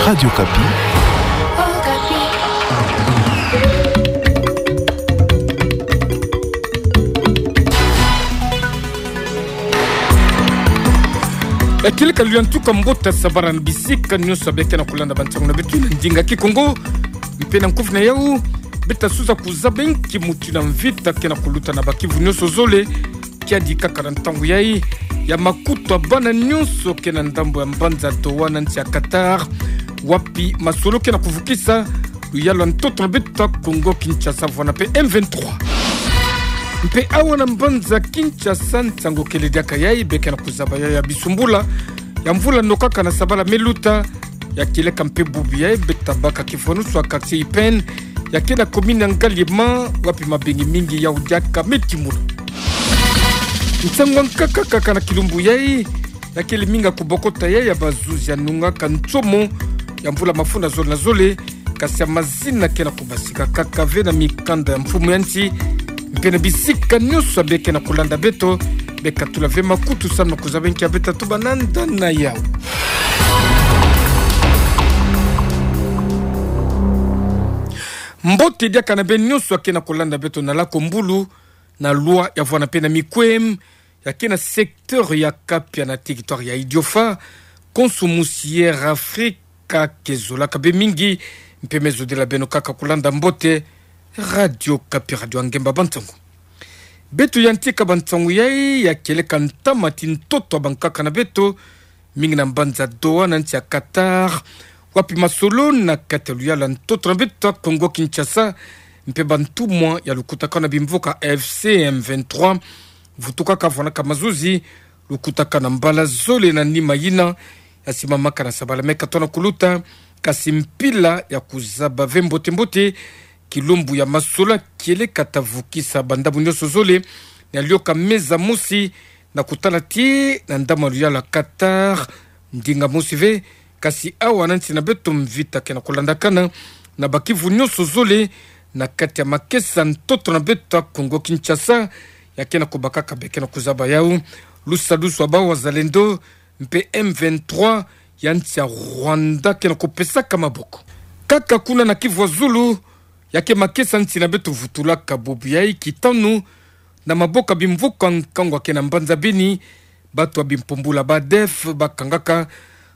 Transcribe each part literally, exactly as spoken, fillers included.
Radio Okapi. Ekele ka luyantuka mbote, sambala na bisika nyonso bê kena kulanda bansangu na beto na ndinga Kikongo. Mpe na nkufi na yau, beta suza kuzaba nki mutu na mvita kena kuluta na bakivu nyonso zole, kiadi kaka na ntangu yai, ya makutu ya bana nyonso kena ndambu ya mbanza Doha na nsi ya Qatar, wapi masolo kena kuvukisa luyalu ya ntoto na beto ya Kongo Kinshasa vwanda mpe M vingt-trois. Mpe awa na mbanza Kinshasa, nsangu kele diaka yai, bê kena kuzaba yai ya bisumbula ya mvula nokaka na sambala me luta, ya kieleka mpe bubu yai, beta baka kifwanusu ya quartier Ipène, ya kena commune ya Ngaliema, wapi mabengi mingi yau diaka me timuna. Nsangu ya nkaka kaka na kilumbu yai, ya kele mingi ya kubokota yai ya bazuzi ya nungaka nsomo ya mvula mafunda zole na zole, kasi ya mazina kena kubasika kaka ve na mikanda ya mfumu ya nsi, mpe na bisika nyonso bê kena kulanda beto, beka tula ve makutu samu na kuzaba nki beta tuba na nda na yau. Mbote diaka na bê nyonso kena kulanda beto na lakombulu, na loi ya vwanda mpe na mikwem, ya kena secteur ya Kapia na territoire ya Idiofa, konso musi Air Africa ke zolaka bê mingi, mpe me zodila beno kaka kulanda mbote Radio Okapi, radio ya ngemba bansangu. Beto yantika bansangu yai, ya kieleka ntama ti ntoto ya bankaka na beto, mingi na mbanza Doha na nsi ya Qatar, wapi masolo na kati ya luyalu ya ntoto na beto ya Kongo Kinshasa, mpe bantumwa ya lukutakanu ya bimvuka A F C M vingt-trois, vutukaka vwanaka mazuzi, lukutakanu ya mbala zole na nima yina, ya simamaka na sambala me katona kuluta, kasi mpila ya kuzaba ve mbote mbote kilumbu ya masolo kieleka ta vukisa bandambu nyonso zole, na lioka meza mosi, na kutala ti na ndambu ya luyalu ya Qatar, ndinga mosi ve, kasi awa na nsi na beto mvita kena kulandakana na bakivu nyonso zole, na kati ya makesa ntoto na beto ya Kongo Kinshasa, ya kena kubakaka bê kena kuzaba yau lusadusu ya bawazalendo, mpe M vingt-trois ya nsi ya Rwanda kena kupesaka maboko. Kaka kuna na Kivu ya Zulu, ya ke makesa nsi na beto vutulaka bubu yai, kitanu na maboko ya bimvuka nkangu ya kena mbanza Beni, bato ya bimpumbulu ya ba ADF bakangaka,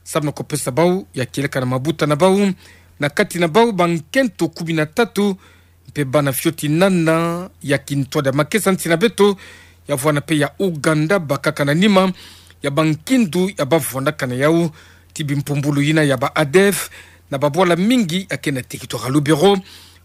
samu na kupesa bau, ya kieleka na mabuta na bau, na kati na bau bankento kumi na tatu, mpe bana fioti nana ya kintwadi ya makesa nsi na beto ya vwanda mpe ya Ouganda, bakaka na nima ya bankindu ya bavwandaka na yau ti bimpumbulu yina ya ba ADF, na babwala mingi ya ke na territoire ya Lubero.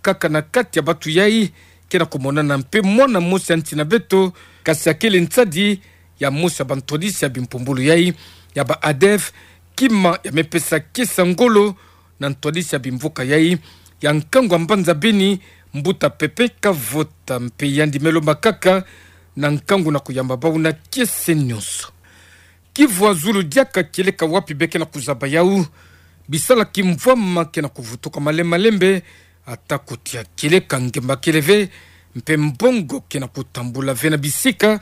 Kaka na kati ya bato yai, kena kumonana mpe mwana mosi ya nsi na beto, kasi ya kele nsadi ya mosi ya bantwadisi ya bimpumbulu yai ya ba ADF, kima ya me pesa kiese ya ngolo na ntwadisi ya bimvuka yai ya nkangu ya mbanza Beni, mbuta Pépin Kavota, mpe yandi me lomba kaka na nkangu na kuyamba bau na kiese nyonso. Kivu ya Zulu diaka kieleka wapi bê kena kuzaba yau bisala kimvwama kena kuvutuka malembe malembe, ata kotia kieleka ngemba kele ve, mpe mbongo kena kutambula ve na bisika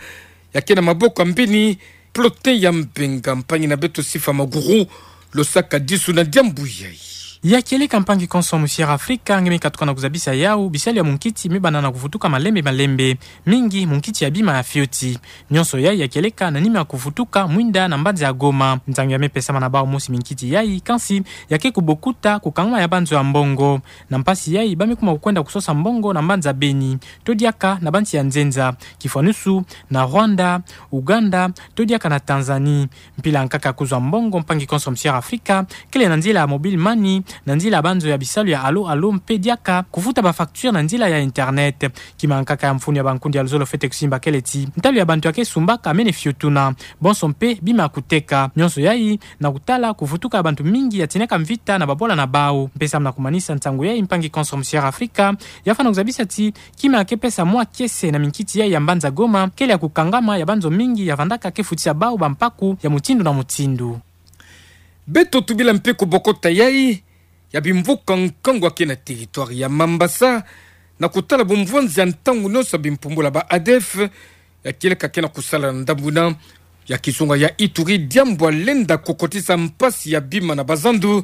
ya ke na maboko ya mbeni. Plotin ya Mbenga, mpangi na beto Sifa Maguru, losaka disu na diambu yai. Ya kieleka, mpangi konso musi Air Africa, nge me katuka na kuzabisa yau bisalu ya munkiti me banda na kuvutuka malembe malembe, mingi munkiti ya bima ya fioti. Nyonso yai ya kieleka na nima ya kuvutuka mwinda na mbanza ya Goma. Ntangu ya me pesama na bau mosi minkiti yai, kansi ya ke kubokuta kukangama ya banzo ya mbongo. Na mpasi yai, ba me kuma kukwenda kusosa mbongo na mbanza Beni, to diaka na bansi ya nzenza, kifwanusu na Rwanda, Ouganda, to diaka na Tanzanie. Mpila nkaka ya kuzwa mbongo, mpangi konso musi Air Africa, kele na nzila ya mobile money, na nzila ya banzo ya bisalu ya Allo Allo, mpe diaka kufuta ba facture na nzila ya internet. Kima nkaka ya mfunu ya bankundi ya luzolo fwete kusimba kele ti ntalu ya bantu ya ke sumbaka mene fiotuna, bonso mpe bima ya kuteka. Nyonso yai na kutala kuvutuka ya bantu mingi ya tinaka mvita na babwala na bau. Mpe samu na kumanisa nsangu yai, mpangi konso musi Air Africa ya fwana kuzabisa ti kima ya ke pesa mwa kiese na minkiti yai ya mbanza Goma, kele ya kukangama ya banzo mingi ya vandaka ke futisa bau bampaku ya mutindu na mutindu. Beto tubila mpe kubokota yai ya bimvuka nkangu ya ke na territoire ya Mambasa, na kutala bumvwanzi ya ntangu nyonso ya bimpumbulu ya ba ADF, ya kieleka ke na kusala na ndambu yina ya kizunga ya Ituri, diambu ya lenda kukotisa mpasi ya bima na bazandu,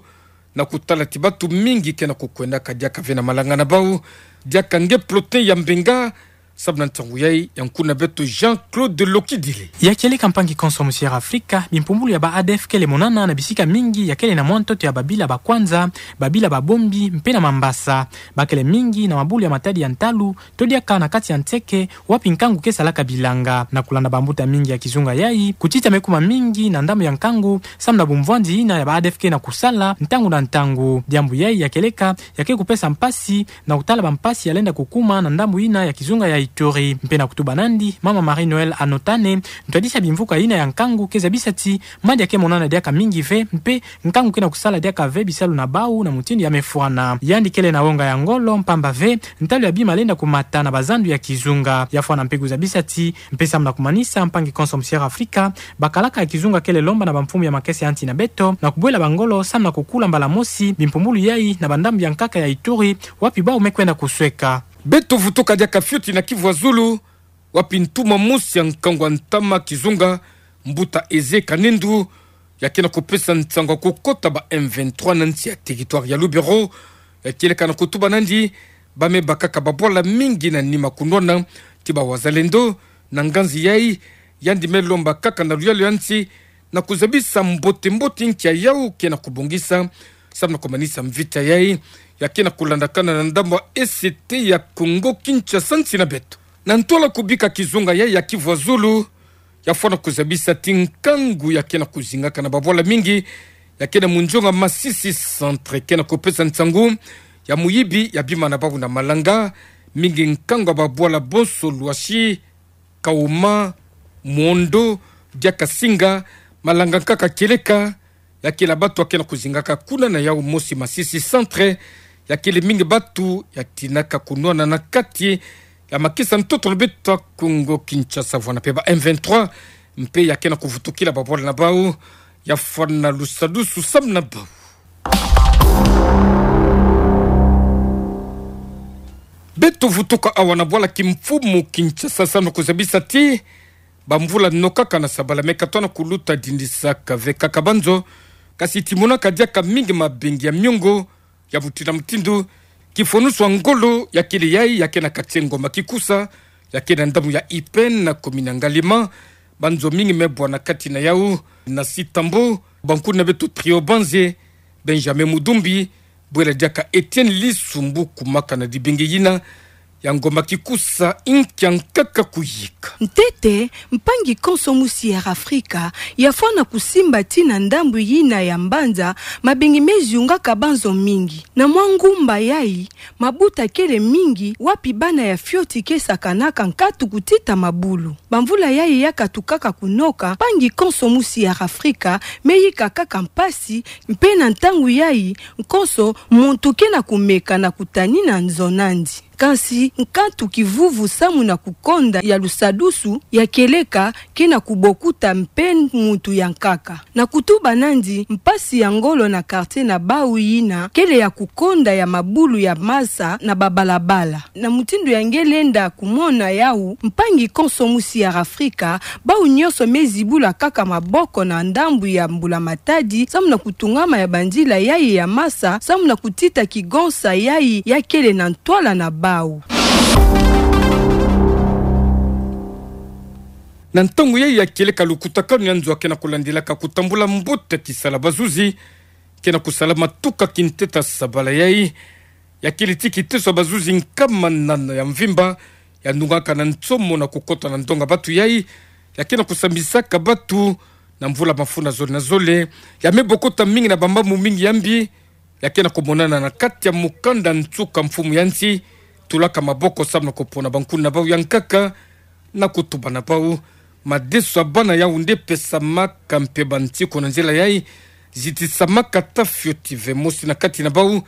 na kutala ti batu mingi ke na kukwendaka diaka ve na malanga na bau, diaka nge plotin ya mbenga, samu na ntangu yai, ya nkuna beto Jean-Claude Lokidile. Ya kieleka mpangi konso mu Sierra Afrika, bimpumbulu ya ba A D F kele monana na bisika mingi ya kele na mwa ntoto ya babila ba Kwanza, babila ba Bombi, mpe na Mambasa. Bakele mingi na mabulu ya matadi ya ntalu, to diaka na kati ya nseke, wapi nkangu ke salaka bilanga. Na kulanda bambuta mingi ya kizunga yai, kutita me kuma mingi na ndambu ya nkangu, samu na bumvwandi yina ya ba A D F ke na kusala, ntangu na ntangu. Diambu yai ya kieleka, ya ke kupesa mpasi, na kutala bampasi ya lenda kukuma na ndambu yina ya kizunga ya Ituri. Mpe na kutuba nandi, mama Marie-Noëlle Anotane, ntwadisi ya bimvuka yina ya nkangu ke zabisa ti, madi ya ke monana diaka mingi ve, mpe nkangu ke na kusala diaka ve bisalu na bau na mutindu ya mefwana. Yandi kele na wonga ya ngolo, mpamba ve, ntalu ya bima lenda kumata na bazandu ya kizunga. Ya fwana mpe kuzabisa ti, mpe samu na kumanisa mpangi konso mu Sierra Afrika, bakalaka ya kizunga kele lomba na bamfumu ya makesa ya nsi na beto, na kubwela bangolo, samu na kukula mbala mosi, bimpumbulu yai, na bandambu ya nkaka ya Ituri, wapi bau me kwenda kusweka. Beto vutuka diaka fioti na Kivu ya Zulu, wapi ntuma mosi ya nkangu ya ntama kizunga, mbuta Eze Kanendu, ya ke na kupesa nsangu ya kukota ba M vingt-trois na nsi ya territoire ya Lubero, ya kieleka na kutuba nandi, ba me bakaka babwala mingi na nima kunwana ti ba wazalendo, na nganzi yai, yandi me lomba kaka na luyalu ya nsi, na kuzabisa mbote-mbote nki ya yau ke na kubongisa, samu na kumanisa mvita yai, ya ke na kulandakana na ndambu ya E C T ya Kongo Kinshasa nsi na beto. Na ntwala kubika kizunga yai ya Kivu ya Zulu, ya fwana kuzabisa ti nkangu ya ke na kuzingaka na babwala mingi, ya ke na munzonga Masisi Centre ke na kupesa nsangu ya muyibi ya bima na bau na malanga, mingi nkangu ya babwala bonso Lwashi, Kauma, Mondo, diaka Singa, malanga nkaka kieleka, ya kele batu ya ke na kuzingaka kuna na yau mosi Masisi Centre, ya kele mingi batu ya tinaka kunwana na kati ya makesa ntoto na beto ya Kongo Kinshasa vwana mpe ba M vingt-trois, mpe ya ke na kuvutukila babwala na bau, ya fwana lusadusu samu na bau. Beto vutuka awa na bwala kimfumu Kinshasa samu na kuzabisa ti, bamvula no kaka na sabala me katoa na kuluta dindisaka ve kaka banzo, kasi ti monaka diaka mingi mabengi ya miongo, ya mutindu na mutindu, kifonusu ya ngolo ya kele yai ya ke na kati ya ngoma Kikusa, ya ke na ndambu ya Ipène na commune ya Ngaliema, banzo mingi me bwa na kati na yau, na Sitambo, bankulu na beto Trio Banze, Benjamin Mudumbi, bwela diaka Etienne Lisumbu kumaka na dibengi yina ya ngoma Kikusa, nkia nkaka kuyika. Ntete, mpangi konso mu Sierra Afrika, ya fwana kusimba ti na ndambu yina ya mbanza, mabengi me ziungaka banzo mingi. Na mwa ngumba yai, mabuta kele mingi, wapi bana ya fioti ke sakanaka nkatu kutita mabulu. Bamvula yai ya katukaka kunoka, mpangi konso mu Sierra Afrika, me yika kaka mpasi, mpe na ntangu yai, konso, muntu ke na kumeka na kutanina nzo nandi. Kansi, nkatu kivuvu samu na kukonda ya lusadusu, ya kieleka, ke na kubokuta mpe muntu ya nkaka. Na kutuba nandi, mpasi ya ngolo na quartier na bau yina, kele ya kukonda ya mabulu ya masa na babalabala. Na mutindu ya nge lenda kumona yau, mpangi konso mu Sierra Afrika, bau nyonso me zibula kaka maboko na ndambu ya mbula matadi, samu na kutungama ya banzila yai ya masa, samu na kutita kigonsa yai ya kele na ntwala na bau. Na ntangu yai ya kieleka lukutakanu ya nzo ya ke na kulandilaka kutambula mbote kisala bazuzi, ke na kusalama tuka kinteta sabala yai, ya kele ti kiteso ya bazuzi nkama nana ya mvimba, ya nungaka na nsomo na kukota na ndonga batu yai, ya ke na kusambisaka batu na mvula mafuna zole na zole, ya me bokota mingi na bamambu mingi ya mbi, ya ke na kumonana na kati ya mukanda nsuka mfumu ya nsi, tulaka maboko samu na kupona bankulu na bau ya nkaka, na kutuba na bau, madeso ya bana yau nde pesamaka mpe bansiku na nzila yai, zitisamaka ata fioti ve. Mosi na kati na bau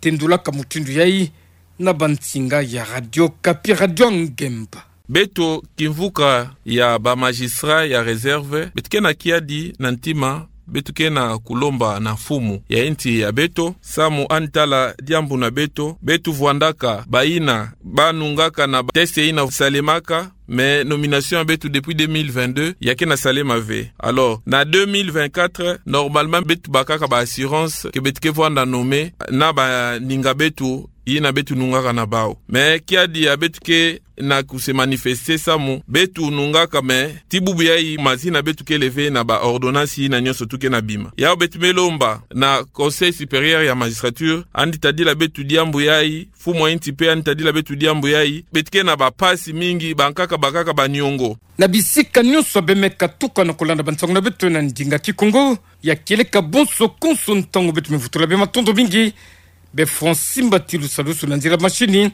tendulaka mutindu yai na bansinga ya Radio Okapi, Radio Ngemba. Beto kimvuka ya ba magistrat ya réserve, beto ke na kiadi na ntima Beto ke na kulomba na mfumu ya insi ya beto, samu yandi tala diambu na beto, beto vwandaka bayina banungaka na ba test yina salemaka, mais nomination ya beto depuis deux mille vingt-deux, ya ke na salema ve. Alors, na deux mille vingt-quatre, normalement, beto bakaka ba assurance que beto ke vwanda nommé na baninga beto, yina beto nungaka na bawu. Mais kiadi ya beto ke na ku se manifester samu, beto nungaka, mais ti bubu yayi, mazi na beto ke lever na ba ordonnance yina nyonso tu ke na bima. Yawu beto me lomba na Conseil supérieur ya magistrature, yandi tadila beto diambu yayi, mfumu ya insi mpe yandi tadila beto diambu yayi, beto ke na ba mpasi mingi, bankaka bakaka ba niongo. Na bisika nyonso beno me katuka na kulanda bansangu na beto na ndinga Kikongo, ya kieleka bonso konso ntangu beto me vutula beno matondo mingi, be Francis Mbatilu Salusu na nzila machine,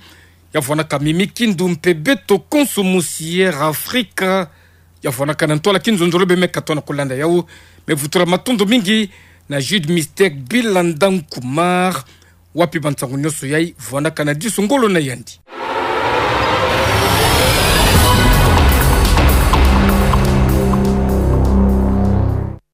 ya vwanaka Mimi Kindu mpe beto konso musi Air Africa, ya vwanaka na ntwala kinzonzolo beno me katoa na kulanda yawu, me vutula matondo mingi na Jude Mystère Bilanda Nkumar, wapi bansangu nyonso yayi vwanaka na disu ngolo na yandi.